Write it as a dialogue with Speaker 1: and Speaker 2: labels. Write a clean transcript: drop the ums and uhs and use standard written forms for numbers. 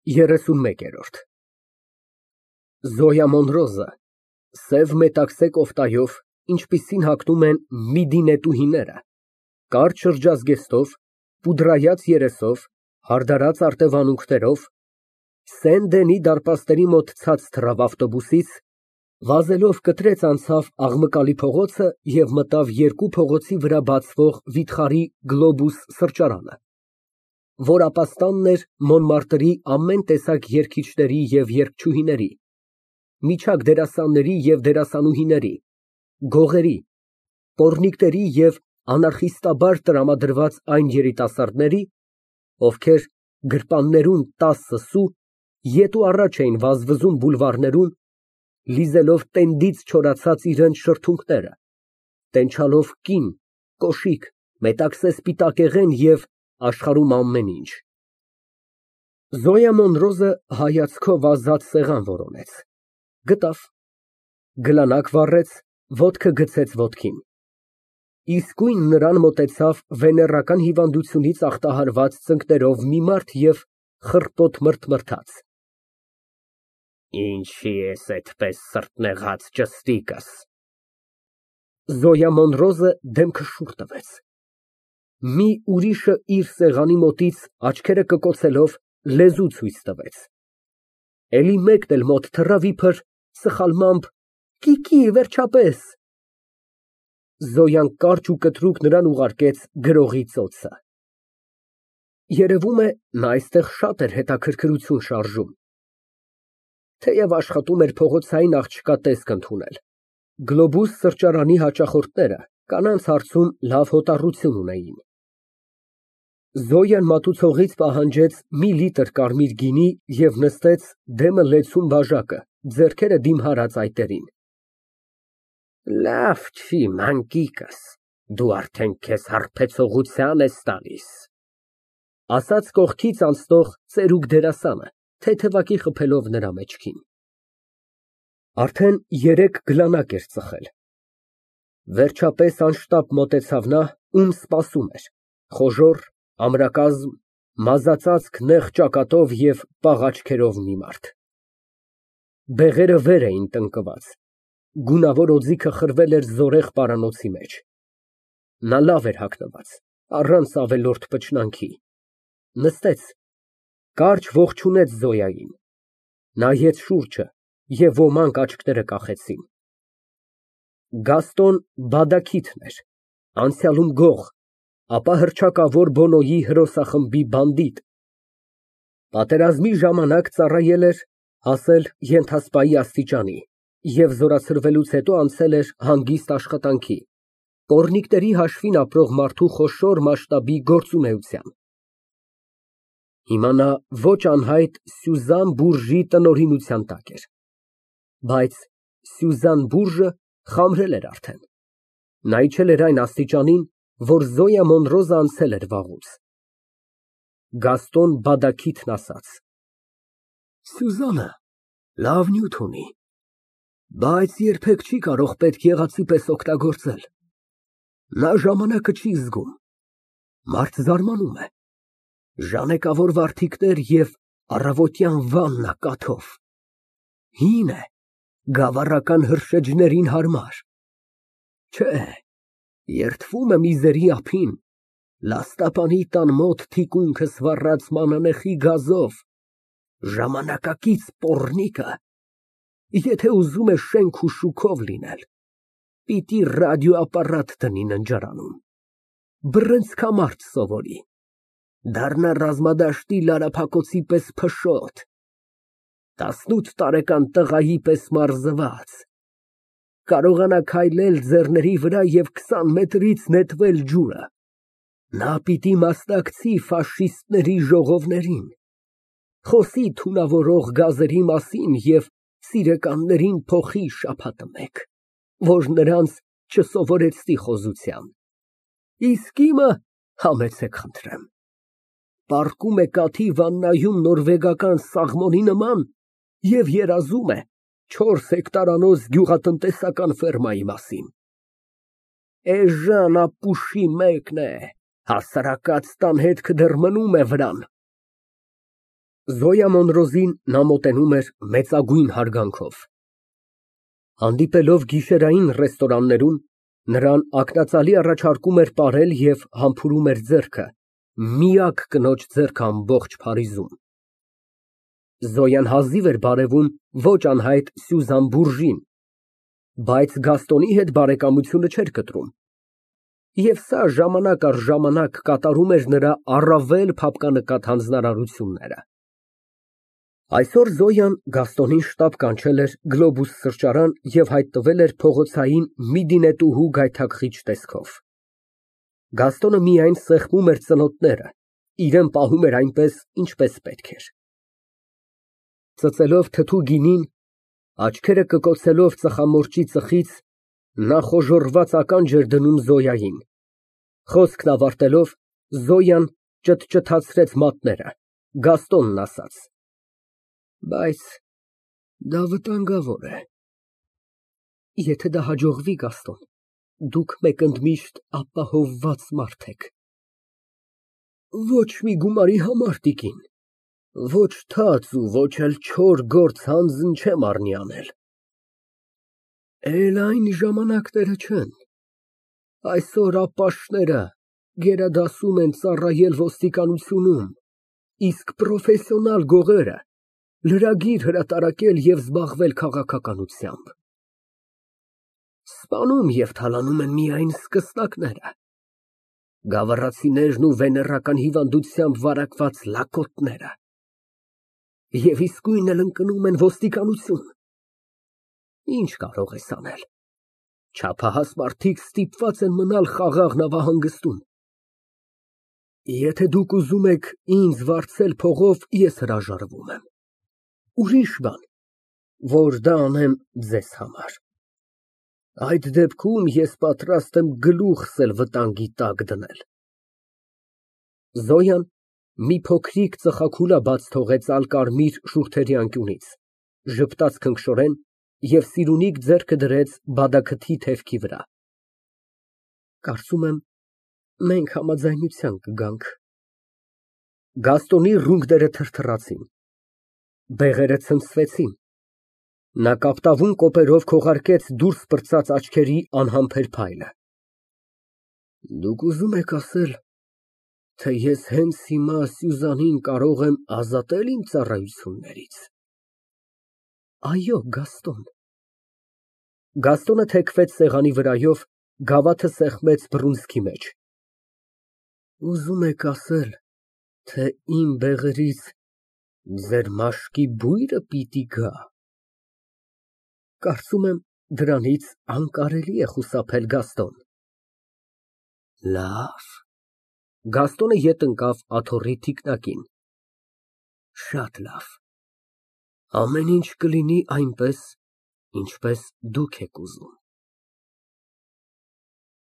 Speaker 1: 31։ Զոյա Մոնրոզը սև մետաքսե կոֆտայով, ինչպիսին հագնում են միդինետուհիները, կարճ շրջազգեստով, պուդրայած երեսով, հարդարած արտևանունքներով, Սեն֊Դենի դարպասների մոտ ցած թռավ ավտոբուսից, վազելով կտրեց անցավ աղմկալի փողոցը և մտավ երկու փողոցի վրա բացվող վիթխարի Գլոբուս սրճարանը, որ ապաստանն էր Մոնմարտրի ամեն տեսակ երգիչների և երգչուհիների, միջակ դերասանների և դերասանուհիների, գողերի, պոռնիկների և անարխիստաբար տրամադրված այն երիտասարդների, ովքեր գրպաններում 10 սու ետ ու առաջ էին վազվզում բուլվարներում, լիզելով տենդից չորացած իրենց շրթունքները, տենչալով կին, կոշիկ, մետաքսե սպիտակեղեն և աշխարհում ամեն ինչ։ Զոյա Մոնրոզը հայացքով ազատ սեղան որոնեց, գտավ, գլանակ վառեց, ոտքը գցեց ոտքին, իսկույն նրան մոտեցավ վեներական հիվանդությունից ախտահարված ծնկներով մի մարդ և խռպոտ մրթմրթաց։ Ինչի ես այդպես սրտնեղած, ջստիկս։ Զոյա Մոնրոզը դեմքը շուռ տվեց, մի ուրիշը իր սեղանի մոտից աչքերը կկոցելով լեզու ցույց տվեց, էլի մեկն էլ մոտ թռավ իբր սխալմամբ կիկի, վերջապես։ Զոյան կարճ ու կտրուկ նրան ուղարկեց գրողի ծոցը։ Երևում է, նա այստեղ շատ էր հետաքրքրություն շարժում, թեև աշխատում էր փողոցային աղջկա տեսք ընդունել, Գլոբուս սրճարանի հաճախորդները կանանց հարցում լավ հոտառություն ունեին։ Զոյան մատուցողից պահանջեց մի լիտր կարմիր գինի և նստեց դեմը լեցուն բաժակը, ձեռքերը դիմհարած այտերին։ Լավ չի, մանկիկս, դու արդեն քեզ հարբեցողության ես տալիս, ասաց կողքից անցնող ծերուկ դերասանը, թեթևակի խփելով նրա մեջքին։ Արդեն 3 գլանակ էր ծխել։ Վերջապես անշտապ մոտեցավ նա, ում սպասում էր, խոժոռ, ամրակազմ, մազածածկ նեղ ճակատով և պաղ աչքերով մի մարդ։ Բեղերը վեր էին տնկված, գունավոր օձիքը խրվել էր զորեղ պարանոցի մեջ։ Նա լավ էր հագնված, առանց ավելորդ պչնանքի, նստեց, կարճ ողջունեց Զոյային, նայեց շուրջը և ոմանք աչքները կախեցին։ Գաստոն Բադաքիթն էր, անցյալում գող, ապա հռչակավոր Բոնոյի հրոսախմբի բանդիտ, պատերազմի ժամանակ ծառայել էր, հասել ենթասպայի աստիճանի և զորացրվելուց հետո անցել էր հանգիստ աշխատանքի, պոռնիկների հաշվին ապրող մարդու խոշոր մասշտաբի գործունեության։ Հիմա նա ոչ անհայտ Սյուզան Բուրժի տնօրինության տակ էր, բայց Սյուզան Բուրժը խամրել էր արդեն, նա իջել էր այն աստիճանին, որ Զոյա Մոնրոզը անցել էր վաղուց։ Գաստոն Բադաքիթն ասաց. Սյուզանը լավ նյութ ունի, բայց երբեք չի կարող պետք եղածի պես օգտագործել, նա ժամանակը չի զգում, մարդ զարմանում է, ժանեկավոր վարդիկներ և առավոտյան վաննա կաթով, հին է, գավառական հրշեջներին հարմար, չէ, երդվում է միզերի ափին, լաստապանի տան մոտ թիկունքս վառած մանանեխի գազով, ժամանակակից պոռնիկը, եթե ուզում է շենք ու շուքով լինել, պիտի ռադիոապարատ դնի ննջարանում, բռնցքամարտ սովորի, դառնա ռազմադաշտի լարափակոցի պես փշոտ, 18 տարեկան տղայի պես մարզված, կարողանա քայլել ձեռների վրա և 20 մետրից նետվել ջուրը, նա պիտի մասնակցի ֆաշիստների ժողովներին, խոսի թունավորող գազերի մասին և սիրեկաններին փոխի շաբաթը մեկ, որ նրանց չսովորեցնի խոզության, իսկ իմը համեցեք խնդրեմ, պառկում է կաթի վաննայում նորվեգական սաղմոնի նման և երազում է 4 հեկտարանոց գյուղատնտեսական ֆերմայի մասին, էժան ապուշի մեկն է, հասարակած տան հետքը դեռ մնում է վրան։ Զոյա Մոնրոզին նա մոտենում էր մեծագույն հարգանքով։ Հանդիպելով գիշերային ռեստորաններում, նրան ակնածալի առաջարկում էր պարել և համբուրում էր ձեռքը, միակ կնոջ ձեռքը ամբողջ Փարիզում։ Զոյան հազիվ էր բարևում ոչ անհայտ Սյուզան Բուրժին, բայց Գաստոնի հետ բարեկամությունը չէր կտրում, և սա ժամանակ առ ժամանակ կատարում էր նրա առավել փափկանկատ հանձնարարությունները։ Այսօր Զոյան Գաստոնին շտապ կանչել էր Գլոբուս սրճարան և հայտնվել էր փողոցային մի դինետուհու գայթակղիչ տեսքով։ Գաստոնը միայն սեղմում էր ծնոտները, իրան պահում էր այնպես, ինչպես պետք էր։ Ծծելով թթու գինին, աչքերը կկոցելով ծխամորճի ծխից, նա խոժոռված ականջ էր դնում Զոյային։ Խոսքն ավարտելով, Զոյան ճտճթացրեց մատները, Գաստոնն ասաց. Բայց դա վտանգավոր է։ Եթե դա հաջողվի, Գաստոն, դուք մեկընդմիշտ ապահովված մարդ եք։ Ոչ մի գումարի համար, տիկին, ոչ թաց ու ոչ էլ չոր գործ հանձն չեմ առնի անել։ Էլ այն ժամանակները չեն։ Այսօր ապաշտները գերադասում են ծառայել ոստիկանությունում, իսկ պրոֆեսիոնալ գողերը լրագիր հրատարակել և զբաղվել քաղաքականությամբ։ Սպանում և թալանում են միայն սկսնակները, գավառացիներն ու վեներական հիվանդությամբ վարակված լակոտները, և իսկույն էլ ընկնում են ոստիկանություն։ Ինչ կարող ես անել, չափահաս մարդիկ ստիպված են մնալ խաղաղ նավահանգստում։ Եթե դուք ուզում եք ինձ վարձել փողով, ես հրաժարվում եմ։ Ուրիշ բան, որ դա անեմ ձեզ համար։ Այդ դեպքում ես պատրաստ եմ գլուխս էլ վտանգի տակ դնել։ Զոյան մի փոքրիկ ծխախուլա բաց թողեց ալկարմիր շուրթերի անկյունից, ժպտաց քնքշորեն և սիրունիկ ձեռքը դրեց բադաքթի թևքի վրա։ Կարծում եմ, մենք համաձայնության կգանք։ Գաստոնի ռունգները թրթռացին, բեղերը ցնցվեցին, նա կապտավուն կոպերով քողարկեց դուրս պրծած աչքերի անհամբեր փայլը։ Դուք ուզում եք ասել, թե ես հենց հիմա Սյուզանին կարող եմ ազատել իմ ծառայություններից։ Այո, Գաստոն։ Գաստոնը թեքվեց սեղանի վրայով, գավաթը սեղմեց բռունցքի մեջ։ Ուզում եք ասել, թե իմ բեղերից ձեր մաշկի բույրը պիտի գա։ Կարծում եմ, դրանից անկարելի է խուսափել, Գաստոն։ Լավ։ Գաստոնը ետ ընկավ աթոռի թիկնակին։ Շատ լավ։ Ամեն ինչ կլինի այնպես, ինչպես դուք եք ուզում։